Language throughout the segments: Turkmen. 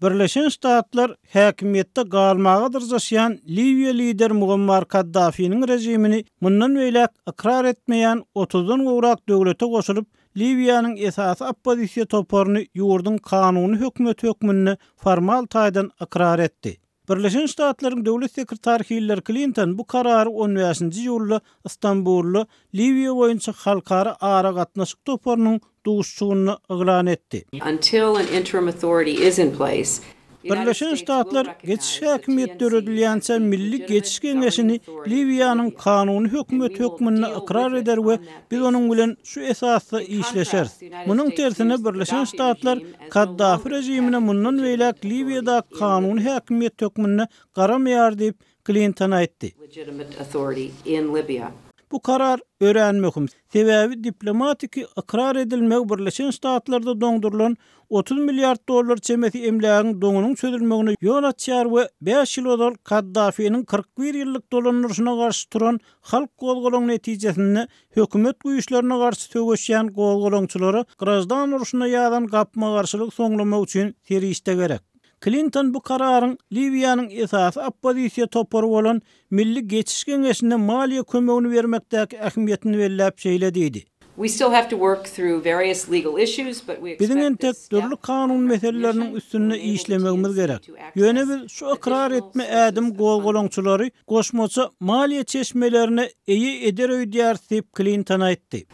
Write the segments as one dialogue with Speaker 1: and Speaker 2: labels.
Speaker 1: Birleşen Ştatlar häkimiýetde galmaga dyrjaşýan Liwiýa lideri Muammar Kaddafiniň režimini mundan beýläk ykrar etmeýän otuzdan gowrak döwlete goşulyp, Liwiýanyň esasy oppozisiýa toparyny ýurduň kanuny hökümeti hökmünde formal taýdan ykrar etdi. Birleşen Ştatlaryň Döwlet sekretary Hillari Klinton bu karary on bäşinji iýulda Stambulda Liwiýa boýunça halkara aragatnaşyk toparynyň duşuşygynda yglan etdi.
Speaker 2: Until an interim authority is in place,
Speaker 1: Birleşen Ştatlar geçiş häkimiýeti döredilýänçä Milli Geçiş Geňeşini Liwiýanyň kanuny hökümeti hökmünde ykrar eder we biz onuň bilen şu esasda işleşeris. Munuň tersine Birleşen Ştatlar Kaddafi režimine mundan beýläk Liwiýadaky kanuny häkimiýet hökmünde garamaýar diýip, Klinton aýtdy. Bu karar örän möhüm, sebäbi diplomatiki ykrar edilmegi Birleşen Ştatlarda doňdurylan 30 milliard dollar çemesi emlägiň doňunyň çözülmegine ýol açýar we bäş ýyl ozal Kaddafiniň 41 ýyllyk dolandyryşyna garşy turan halk gozgalaňy netijesinde hökümet güýçlerine garşy söweşýän gozgalaňçylara graždan urşuna ýazan gapma-garşylygy soňlamak üçin serişde gerek. Klinton bu kararyň Liwiýanyň esasy oppozisiýa topary bolan Milli Geçiş Geňeşine maliýe kömegini bermekdäki ähmiýetini belläp şeýle diýdi. Biziň entek dürli kanun meseleleriniň üstünde işlemegimiz gerek. Ýöne biz şu ykrar etme ädim gozgalaňçylary goşmaça maliýe çeşmelerine eýe eder öýdýäris diýip, Klinton aýtdy.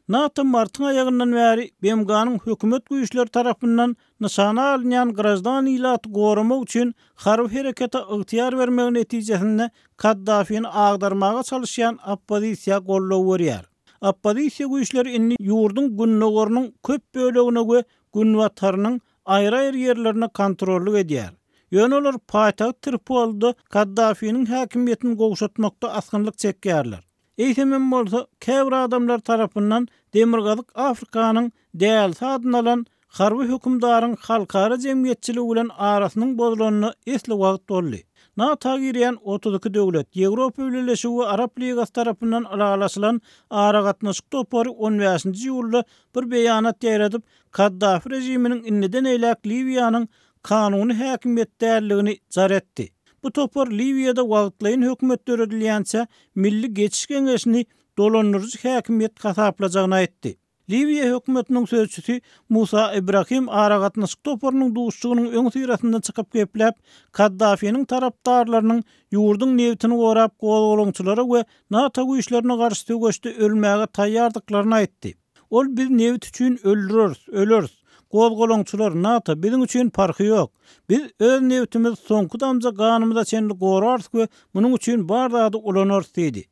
Speaker 1: NATO martyň aýagyndan bäri BMG-niň hökümet güýçleri tarapyndan nyşana alynýan graždan ilaty goramak üçin harby herekete ygtyýar bermegi netijesinde Kaddafini agdarmaga çalyşýan oppozisiýa goldaw berýär. Oppozisiýa güýçleri indi ýurduň gündogarynyň köp bölegine we günbatarynyň aýry-aýry ýerlerine kontrollyk edýär. Ýöne olar paýtagt Tripolide Kaddafiniň häkimiýetini gowşatmakda asgynlyk çekýärler. Eýsemem bolsa, käbir adamlar tarapyndan Demirgazyk Afrikanyň dälisi adyny alan harby hökümdaryň halkara jemgyýetçiligi bilen arasynyň bozulanyna esli wagt boldy. NATO girýän 32 döwlet, Ýewropa Bileleşigi we Arap Ligasy tarapyndan ylalaşylan aragatnaşyk topary on bäşinji iýulda bir beýanat ýaýradyp, Kaddafi režiminiň indiden eýläk Liwiýanyň kanuny häkimiýet däldigini jar etdi. Bu topar Liwiýada wagtlaýyn hökümet döredilýänçä Milli Geçiş Geňeşini dolandyryjy häkimiýet hasaplajagyny aýtdy. Liwiýa hökümetiniň sözçüsi Musa Ibrahim aragatnaşyk toparynyň duşuşygynyň öňüsyrasynda çykyp gepläp, Kaddafiniň tarapdarlarynyň ýurduň nebitini gorap gozgalaňçylara we NATO güýçlerine garşy söweşde ölmäge taýýardyklaryny aýtdy. Ol biz nebit üçin öldüreris, öleris. Gozgalaňçylar, NATO, biziň üçin parhy ýok. Biz öz nebitimizi soňky damja ganymyza çenli gorarys we munuň üçin bar zady ulanarys diýdi.